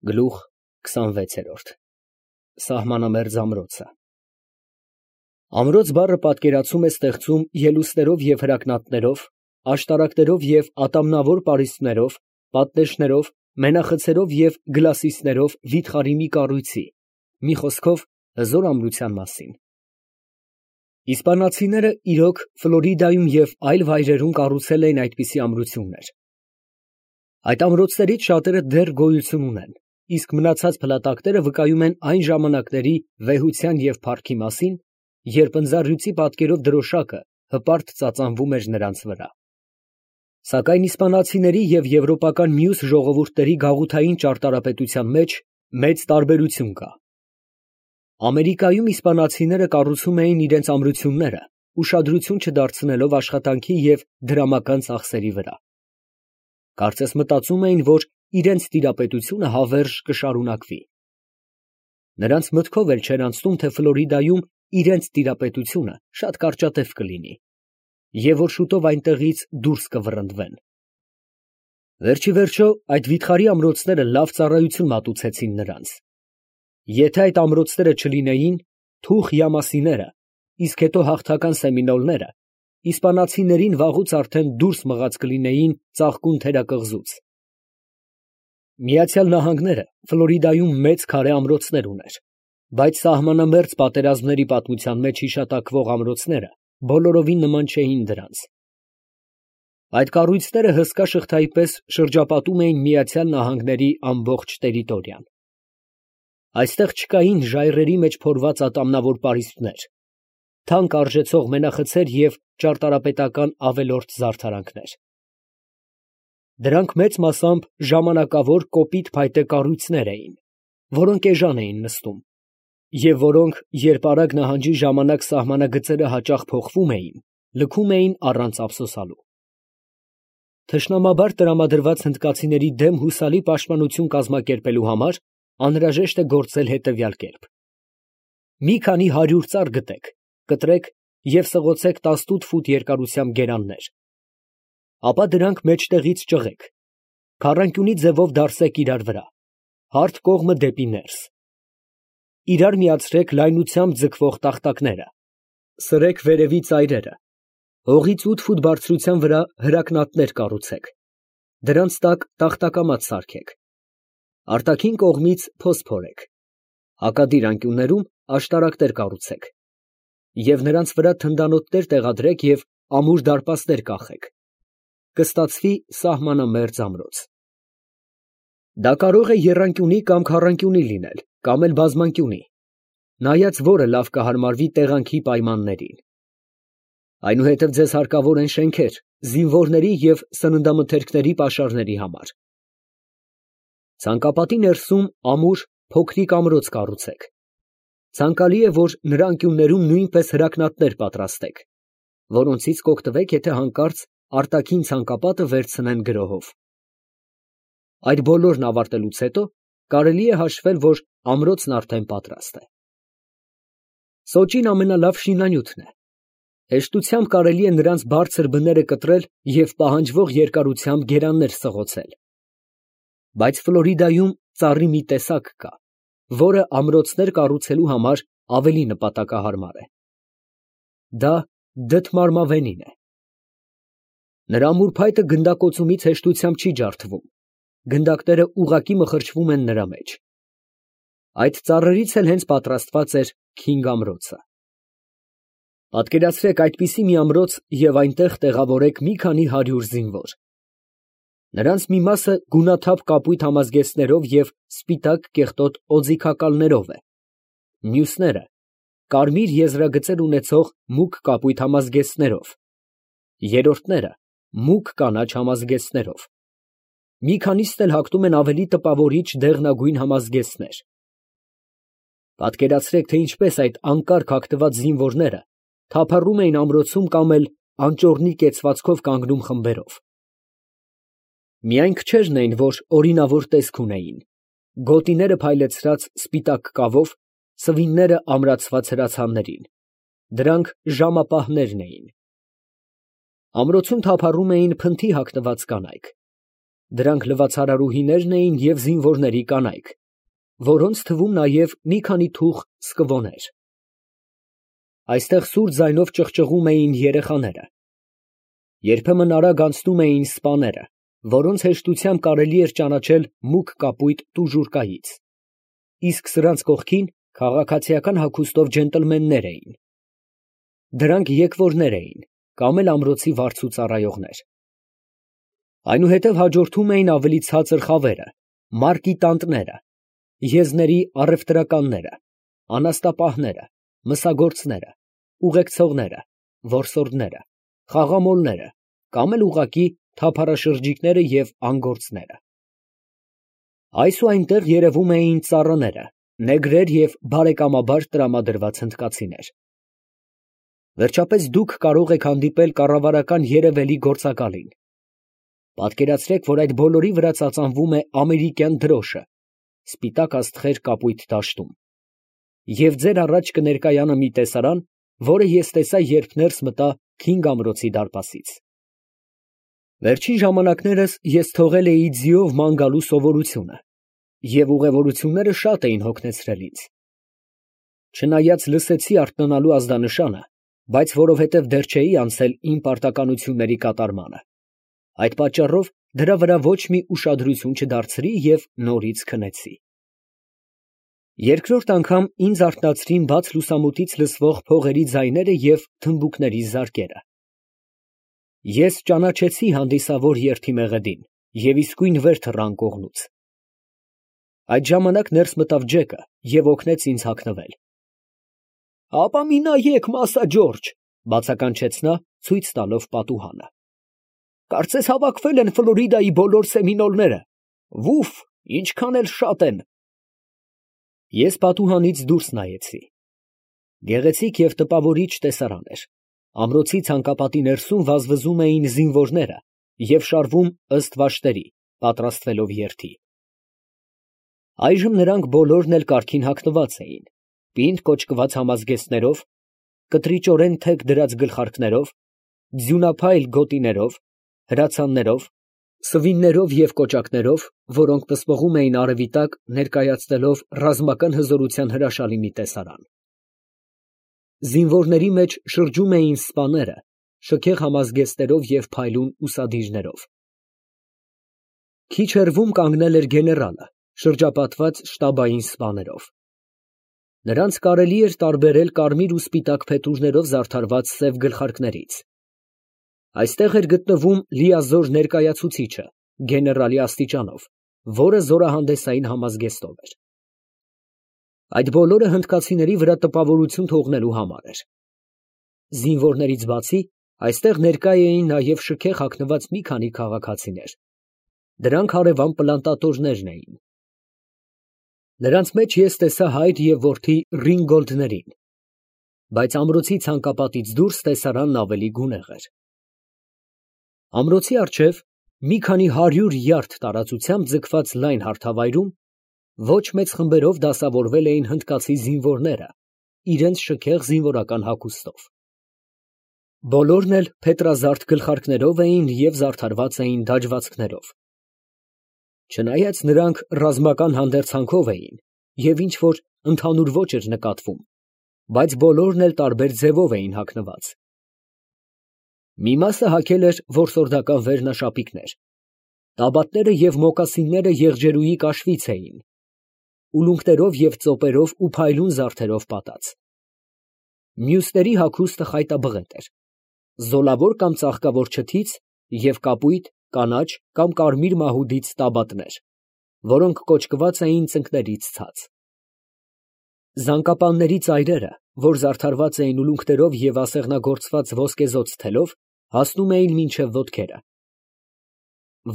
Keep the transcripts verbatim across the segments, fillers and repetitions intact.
Գլուխ քսանվեցերորդ Սահմանամերձ ամրոցը Ամրոց բառը պատկերացում է ստեղծում ելուստներով և հրակնատներով, աշտարակներով և ատամնավոր պարիսպներով, պատնեշներով, մենախցերով և գլասիսներով վիթխարի մի կառույցի, մի խոսքով, հզոր ամրության մասին։ Իսպանացիները իրոք Ֆլորիդայում և այլ վայրերում կառուցել էին այդպիսի ամրություններ։ Այդ ամրոցներից շատերը դեռ գոյություն ունեն, իսկ մնացած փլատակները վկայում են այն ժամանակների վեհության և փառքի մասին, երբ ընձառյուծի պատկերով դրոշակը հպարտ ծածանվում էր նրանց վրա։ Սակայն իսպանացիների և եվրոպական մյուս ժողովուրդների գաղութային ճարտարապետության մեջ մեծ տարբերություն կա։ Ամերիկայում իսպանացիները կառուցում էին իրենց ամրությունները, ուշադրություն չդարձնելով աշխատանքի և դրամական ծախսերի վրա։ Կարծես մտածում էին, որ իրենց տիրապետությունը հավերժ կշարունակվի։ Նրանց մտքով էլ չէր անցնում, թե Ֆլորիդայում իրենց տիրապետությունը շատ կարճատև կլինի, և որ շուտով այնտեղից դուրս կվռնդվեն։ Վերջիվերջո, այդ վիթխարի ամրոցները լավ ծառայություն մատուցեցին նրանց։ Եթե այդ ամրոցները չլինեին, թուխ յամասիները, իսկ հետո հաղթական սեմինոլները իսպանացիներին վաղուց արդեն դուրս մղած կլինեին ծաղկուն թերակղզուց։ Միացյալ Նահանգները Ֆլորիդայում մեծ քարե ամրոցներ ուներ, բայց սահմանամերձ պատերազմների պատմության մեջ հիշատակվող ամրոցները բոլորովին նման չէին դրանց։ Այդ կառույցները հսկա շղթայի պես շրջապատում էին Միացյալ Նահանգների ամբողջ տերիտորիան։ Այստեղ չկային ժայռերի մեջ փորված ատամնավոր պարիսպներ, թանկ արժեցող մենախցեր և ճարտարապետական ավելորդ զարդարանքներ։ Դրանք մեծ մասամբ ժամանակավոր կոպիտ փայտե կառույցներ էին, որոնք էժան էին նստում, և որոնք, երբ Արագ նահանջի ժամանակ սահմանագծերը հաճախ փոխվում էին, լքում էին առանց ափսոսալու։ Թշնամաբար տրամադրված հնդկացիների դեմ հուսալի պաշտպանություն կազմակերպելու համար անհրաժեշտ է գործել հետևյալ կերպ. մի քանի հարյուր ծառ գտեք, կտրեք և սղոցեք տասնութ ֆուտ երկարությամբ գերաններ, ապա դրանք մեջտեղից ճղեք, քառանկյունի ձևով դարսեք իրար վրա, հարթ կողմը դեպի ներս, իրար միացրեք լայնությամբ ձգվող տախտակները, սրեք վերևի ծայրերը, հողից ութ ֆուտ բարձրության վրա հրակնատներ կառուցեք, դրանց տակ տախտակամաց սարքեք, արտաքին կողմից փոս փորեք, հակադիր անկյուններում աշտարակներ կառուցեք և նրանց վրա թնդանոթներ տեղադրեք և ամուր դարպասներ կախեք, կստացվի սահմանամերձ ամրոց։ Դա կարող է եռանկյունի կամ քառանկյունի լինել, կամ էլ բազմանկյունի, նայած որը լավ կհարմարվի տեղանքի պայմաններին։ Այնուհետև ձեզ հարկավոր են շենքեր զինվորների և սննդամթերքների պաշարների համար։ Ցանկապատի ներսում ամուր փոքրիկ ամրոց կառուցեք։ Ցանկալի է, որ նրա անկյուններում նույնպես հրակնատներ պատրաստեք, որոնցից կօգտվեք, եթե հանկարծ արտաքին ցանկապատը վերցնեն գրոհով։ Այդ բոլորն ավարտելուց հետո կարելի է հաշվել, որ ամրոցն արդեն պատրաստ է։ Սոճին ամենալավ շինանյութն է։ Հեշտությամբ կարելի է նրանց բարձր բները կտրել և պահանջվող երկարությամբ գերաններ սղոցել։ Բայց Ֆլորիդայում ծառի մի տեսակ կա, որը ամրոցներ կառուցելու համար ավելի նպատակահարմար է։ Դա դդմարմավենին է։ Նրա ամուր փայտը գնդակոծումից հեշտությամբ չի ջարդվում, գնդակները ուղղակի մխրճվում են նրա մեջ։ Այդ ծառերից էլ հենց պատրաստված էր քինգ ամրոցը։ Պատկերացրեք այդպիսի մի ամրոց և այնտեղ տեղավորեք մի քանի հարյուր զինվոր։ Նրանց մի մասը գունաթափ կապույտ համազգեստներով և սպիտակ կեղտոտ օձիքակալներով է, մյուսները կարմիր եզրագծեր ունեցող մուգ կապույտ համազգեստներով, երրորդները մուգ կանաչ համազգեստներով, մի քանիսն էլ հագնում են ավելի տպավորիչ դեղնագույն համազգեստներ։ Պատկերացրեք, թե ինչպես այդ անկարգ հագնված զինվորները թափառում էին ամրոցում կամ էլ անճոռնի կեցվածքով կանգնում խմբերով։ Միայն քչերն էին, որ օրինավոր տեսք ունեին, գոտիները փայլեցրած սպիտակ կավով, սվինները ամրացված հրացաններին, դրանք ժամապահներն էին։ Ամրոցում թափառում էին փնթի հագնված կանայք։ Դրանք լվացարարուհիներն էին և զինվորների կանայք, որոնց թվում նաև մի քանի թուղ սկվոներ։ Այստեղ սուր ձայնով ճղճղում էին երեխաները։ Երբեմն արագ անցնում էին սպաները, որոնց հեշտությամբ կարելի էր ճանաչել մուգ կապույտ տուժուրկայից, իսկ սրանց կողքին քաղաքացիական հագուստով ջենտլմեններ էին։ Դրանք եկվորներ էին կամ էլ ամրոցի վարձու ծառայողներ։ Այնուհետև հաջորդում էին ավելի ցածր խավերը, մարկիտանտները, եզների առևտրականները, անաստապահները, մսագործները, ուղեկցողները, որսորդները, խաղամոլները կամ էլ ուղղակի թափառաշրջիկները և անգործները։ Այս ու այնտեղ երևում էին ծառաները, նեգրեր և բարեկամաբար տրամադրված հնդկացիներ։ Վերջապես դուք կարող եք հանդիպել կառավարական երևելի գործակալին։ Պատկերացրեք, որ այդ բոլորի վրա ծածանվում է ամերիկյան դրոշը, սպիտակ աստղեր կապույտ դաշտում, և ձեր առաջ կներկայանա մի տեսարան, որը ես տեսա, երբ ներս մտա Քինգ ամրոցի դարպասից։ Վերջին ժամանակներս ես թողել էի ձիով ման գալու սովորությունը, և ուղևորությունները շատ էին հոգնեցրել ինձ։ Չնայած լսեցի արթնանալու ազդանշանը, բայց որովհետև դեռ չէի անցել իմ պարտականությունների կատարմանը, այդ պատճառով դրա վրա ոչ մի ուշադրություն չդարձրի և նորից քնեցի։ Երկրորդ անգամ ինձ արթնացրին բաց լուսամուտից լսվող փողերի ձայները և թմբուկների զարկերը։ Ես ճանաչեցի հանդիսավոր երդի մեղեդին և իսկույն վեր թռա անկողնուց։ Այդ ժամանակ ներս մտավ Ջեկը և օգնեց ինձ հագնվել։ ֊ Հապա մի նայեք, Մասա Ջորջ, ֊ բացականչեց նա, ցույց տալով պատուհանը. ֊ կարծես հավաքվել են Ֆլորիդայի բոլոր սեմինոլները. վուֆ, ինչքան էլ շատ են։ Ես պատուհանից դուրս նայեցի։ Գեղեցիկ և տպավորիչ տեսարան էր։ Ամրոցի ցանկապատի ներսում վազվզում էին զինվորները և շարվում ըստ վաշտերի, պատրաստվելով երթի։ Այժմ նրանք բոլորն էլ կարգին հագնված էին, պինդ կոճկված համազգեստներով, կտրիճորեն թեք դրած գլխարկներով, ձյունափայլ գոտիներով, հրացաններով, սվիններով և կոճակներով, որոնք պսպղում էին արևի տակ, ներկայացնելով ռազմական հզորության հրաշալի մի տեսարան։ Զինվորների մեջ շրջում էին սպաները, շքեղ համազգեստներով և փայլուն ուսադիրներով։ Քիչ հեռվում կանգնել էր գեներալը, շրջապատված շտաբային սպաներով։ Նրանց կարելի էր տարբերել կարմիր ու սպիտակ փետուրներով զարդարված սև գլխարկներից։ Այստեղ էր գտնվում լիազոր ներկայացուցիչը, գեներալի աստիճանով, որը զորահանդեսային համազգեստով էր։ Այդ բոլորը հնդկացիների վրա տպավորություն թողնելու համար էր։ Զինվորներից բացի, այստեղ ներկա էին նաև շքեղ հագնված մի քանի քաղաքացիներ։ Դրանք հարևան պլանտատորներն էին։ Նրանց մեջ ես տեսա հայր և որդի Ռինգոլդներին, բայց ամրոցի ցանկապատից դուրս տեսարանն ավելի գունեղ էր։ Ամրոցի առջև, մի քանի հարյուր յարդ տարածությամբ ձգված լայն հարթավայրում, ոչ մեծ խմբերով դասավորվել էին հնդկացի զինվորները, իրենց շքեղ զինվորական հագուստով։ Բոլորն էլ փետրազարդ գլխարկներով էին և զարդարված էին դաջվածքներով։ Չնայած նրանք ռազմական հանդերձանքով էին և ինչ֊որ ընդհանուր ոճ էր նկատվում, բայց բոլորն էլ տարբեր ձևով էին հագնված։ Մի մասը հագել էր որսորդական վերնաշապիկներ, տաբատները և մոկասինները եղջերուի կաշվից էին, ուլունքներով և ծոպերով ու փայլուն զարդերով պատած։ Մյուսների հագուստը խայտաբղետ էր, զոլավոր կամ ծաղկավոր չթից և կապույտ, կանաչ կամ կարմիր մահուդից տաբատներ, որոնք կոճկված էին ծնկներից ցած։ Զանգապանների ծայրերը, որ զարդարված էին ուլունքներով և ասեղնագործված ոսկեզօծ թելով, հասնում էին մինչև ոտքերը։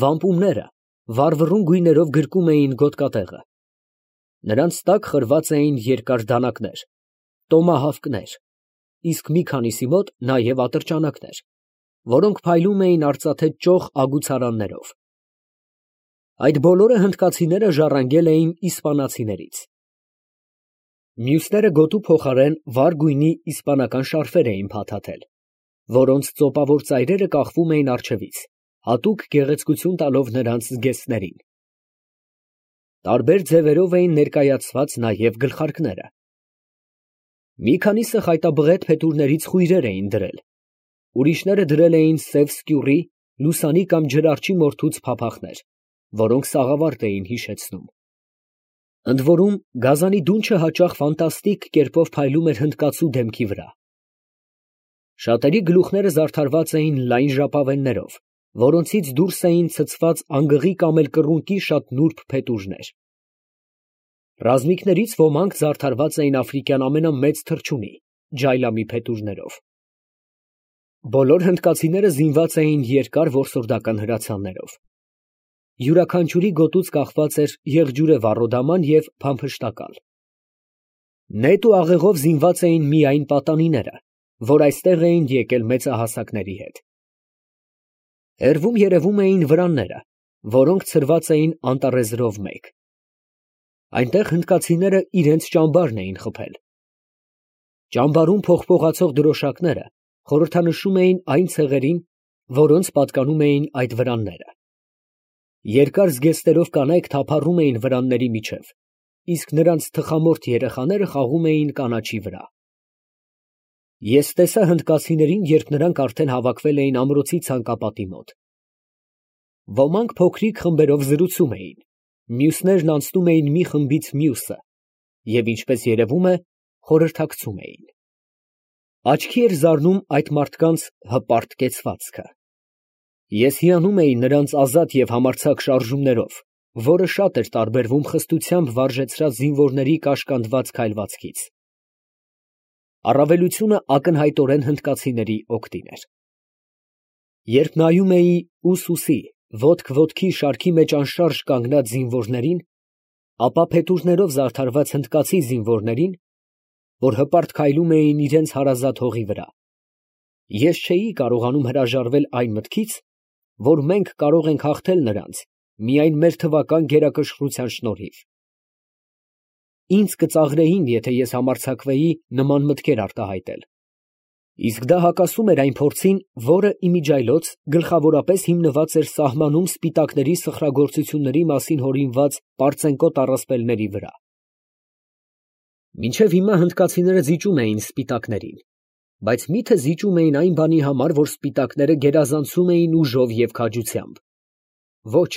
Վամպումները վառվռուն գույներով գրկում էին գոտկատեղը։ Նրանց տակ խրված էին երկար դանակներ, տոմահավկներ, իսկ մի քանիսի մոտ նաև ատրճանակներ, որոնք փայլում էին արծաթե ճոխ ագուցարաններով։ Այդ բոլորը հնդկացիները ժառանգել էին իսպանացիներից։ Մյուսները գոտու փոխարեն վառ գույնի իսպանական շարֆեր էին փաթաթել, որոնց ծոպավոր ծայրերը կախվում էին առջևից հատուկ գեղեցկություն տալով նրանց զգեստներին։ Տարբեր ձևերով էին ներկայացված նաև գլխարկները։ Մի քանիսը խայտաբղետ փետուրներից խույրեր էին դրել, ուրիշները դրել էին սև սկյուռի, լուսանի կամ ջրարչի մորթուց փափախներ, որոնք սաղավարտ էին հիշեցնում։ Ընդ որում, գազանի դունչը հաճախ ֆանտաստիկ կերպով փայլում էր հնդկացու դեմքի վրա։ Շատերի գլուխները զարդարված էին լայն ժապավեններով, որոնցից դուրս էին ցցված անգղի կամ էլ կռունկի շատ նուրբ փետուրներ։ Ռազմիկներից ոմանք զարդարված էին աֆրիկյան ամենամեծ թռչունի՝ ջայլամի փետուրներով։ Բոլոր հնդկացիները զինված էին երկար որսորդական հրացաններով։ Յուրաքանչյուրի գոտուց կախված էր եղջյուրե վառոդաման և փամփշտակալ։ Նետ ու աղեղով զինված էին միայն պատանիները, որ այստեղ էին եկել մեծահասակների հետ։ Հեռվում երևում էին վրանները, որոնք ցրված էին անտառեզրով մեկ։ Այնտեղ հնդկացիները իրենց ճամբարն էին խփել։ Ճամբարում փողփողացող դրոշակները խորհրդանշում էին այն ցեղերին, որոնց պատկանում էին այդ վրանները։ Երկար զգեստերով կանայք թափառում էին վրանների միջև, իսկ նրանց թխամորթ երեխաները խաղում էին կանաչի վրա։ Ես տեսա հնդկացիներին, երբ նրանք արդեն հավաքվել էին ամրոցի ցանկապատի մոտ։ Ոմանք փոքրիկ խմբերով զրուցում էին, մյուսներն անցնում էին մի խմբից մյուսը և, ինչպես երևում է, խորհրդակցում էին։ Աչքի էր զարնում այդ մարդկանց հպարտ կեցվածքը։ Ես հիանում էի նրանց ազատ և համարձակ շարժումներով, որը շատ էր տարբերվում խստությամբ վարժեցրած զինվորների կաշկանդված քայլվածքից։ Առավելությունը ակնհայտորեն հնդկացիների օգտին էր։ Երբ նայում էի ուս ուսի, ոտք ոտքի շարքի մեջ անշարժ կանգնած զինվորներին, ապա փետուրներով զարդարված հնդկացի զինվորներին, որ հպարտ քայլում էին իրենց հարազատ հողի վրա, ես չէի կարողանում հրաժարվել այն մտքից, որ մենք կարող ենք հաղթել նրանց միայն մեր թվական գերակշռության շնորհիվ։ Ինձ կծաղրեին, եթե ես համարձակվեի նման մտքեր արտահայտել, իսկ դա հակասում էր այն փորձին, որը իմիջիայլոց գլխավորապես հիմնված էր սահմանում սպիտակների սխրագործությունների մասին հորինված պարծենկոտ առասպելների վրա։ Մինչև հիմա հնդկացիները զիջում էին սպիտակներին, բայց մի՞թե զիջում էին այն բանի համար, որ սպիտակները գերազանցում էին ուժով և քաջությամբ։ Ոչ։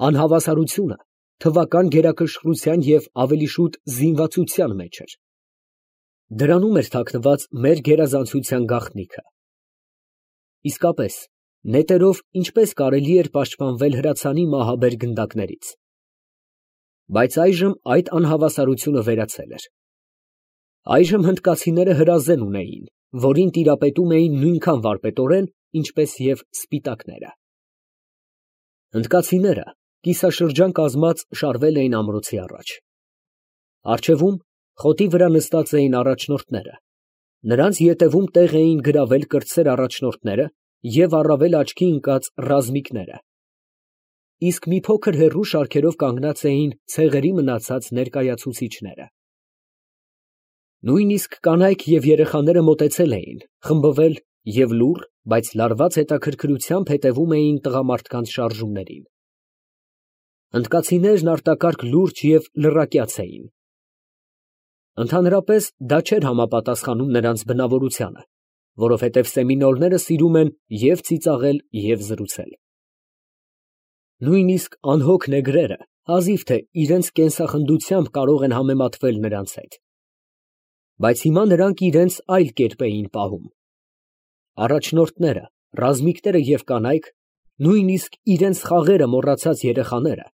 Անհավասարությունը թվական գերակշռության և ավելի շուտ զինվածության մեջ էր։ Դրանում էր թաքնված մեր գերազանցության գաղտնիքը։ Իսկապես, նետերով ինչպես կարելի էր պաշտպանվել հրացանի մահաբեր գնդակներից։ Բայց այժմ այդ անհավասարությունը վերացել էր։ Այժմ հնդկացիները հրազեն ունեին, որին տիրապետում էին նույնքան վարպետորեն, ինչպես և սպիտակները։ Հնդկացիները կիսաշրջան կազմած շարվել էին ամրոցի առաջ։ Առջևում խոտի վրա նստած էին առաջնորդները, նրանց ետևում տեղ էին գրավել կրտսեր առաջնորդները և առավել աչքի ընկած ռազմիկները, իսկ մի փոքր հեռու շարքերով կանգնած էին ցեղերի մնացած ներկայացուցիչները։ Նույնիսկ կանայք և երեխաները մոտեցել էին, խմբվել և լուռ, բայց լարված հետաքրքրությամբ հետևում էին տղամարդկանց շարժումներին։ Հնդկացիներն արտակարգ լուրջ և լռակյաց էին։ Ընդհանրապես դա չէր համապատասխանում նրանց բնավորությանը, որովհետև սեմինոլները սիրում են և ծիծաղել, և զրուցել։ Նույնիսկ անհոգ նեգրերը հազիվ թե իրենց կենսախնդությամբ կարող են համեմատվել նրանց հետ։ Բայց հիմա նրանք իրենց այլ կերպ էին պահում։ Առաջնորդները, ռազմիկները և կանայք, նույնիսկ իրենց խաղերը մոռացած երեխաները,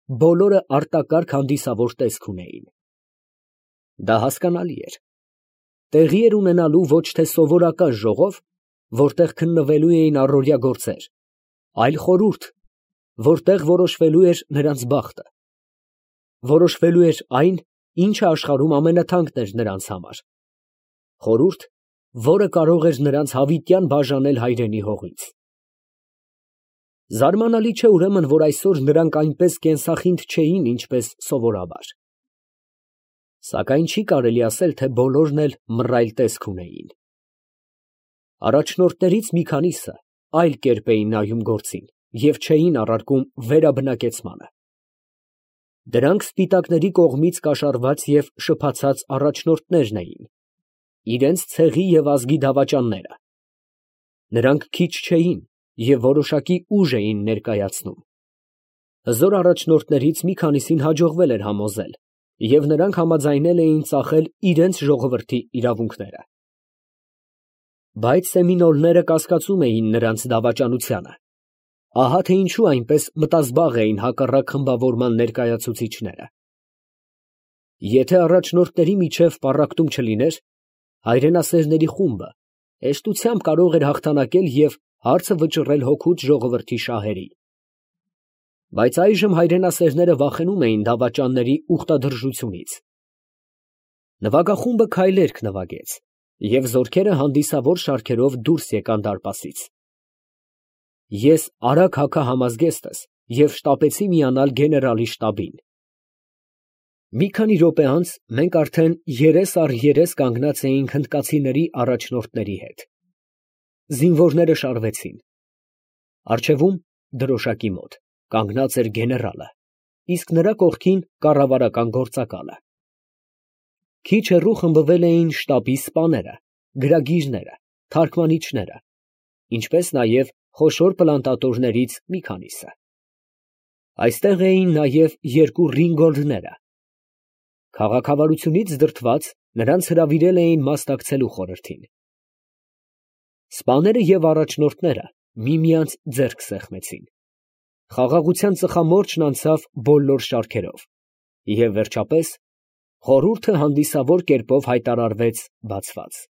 բոլորը արտակարգ հանդիսավոր տեսք ունեին։ Դա հասկանալի էր։ Տեղի էր ունենալու ոչ թե սովորական ժողով, որտեղ քննվելու էին առօրյա գործեր, այլ խորհուրդ, որտեղ որոշվելու էր նրանց բախտը, որոշվելու էր այն, ինչը աշխարհում ամենաթանկն էր նրանց համար, խորհուրդ, որը կարող էր նրանց հավիտյան բաժանել հայրենի հողից։ Զարմանալի չէ ուրեմն, որ այսօր նրանք այնպես կենսախինդ չէին, ինչպես սովորաբար։ Սակայն չի կարելի ասել, թե բոլորն էլ մռայլ տեսք ունեին։ Առաջնորդներից մի քանիսը այլ կերպ էին նայում գործին և չէին առարկում վերաբնակեցմանը։ Դրանք սպիտակների կողմից կաշառված և շփաթած առաջնորդներն էին, իրենց ցեղի և ազգի դավաճանները։ Նրանք քիչ չէին և որոշակի ուժ էին ներկայացնում։ Հզոր առաջնորդներից մի քանիսին հաջողվել էր համոզել, և նրանք համաձայնել էին ծախել իրենց ժողովրդի իրավունքները։ Բայց սեմինոլները կասկածում էին նրանց դավաճանությանը։ Ահա թե ինչու այնպես մտազբաղ էին հակառակ խմբավորման ներկայացուցիչները։ Եթե առաջնորդների միջև պառակտում չլիներ, հայրենասերների խումբը հեշտությամբ կարող էր հաղթանակել և հարցը վճռել հոգուց ժողովրդի շահերի։ Բայց այժմ հայրենասերները վախենում էին դավաճանների ուխտադրժությունից։ Նվագախումբը քայլերգ նվագեց, և զորքերը հանդիսավոր շարքերով դուրս եկան դարպասից։ Ես արագ հագա համազգեստս և շտապեցի միանալ գեներալի շտաբին։ Մի քանի րոպե անց մենք արդեն երես առ երես կանգնած էինք հնդկացիների առաջնորդների հետ։ Զինվորները շարվեցին։ Առջևում, դրոշակի մոտ, կանգնած էր գեներալը, իսկ նրա կողքին կառավարական գործակալը։ Քիչ հեռու խմբվել էին շտաբի սպաները, գրագիրները, թարգմանիչները, ինչպես նաև խոշոր պլանտատորներից մի քանիսը։ Այստեղ էին նաև երկու ռինգոլդները։ Քաղաքավարությունից դրդված, նրանց հրավիրել էին մասնակցելու խորհրդին։ Սպաները և առաջնորդները միմյանց ձեռք սեղմեցին։ Խաղաղության ծխամորճն անցավ բոլոր շարքերով, և վերջապես խորհուրդը հանդիսավոր կերպով հայտարարվեց բացված։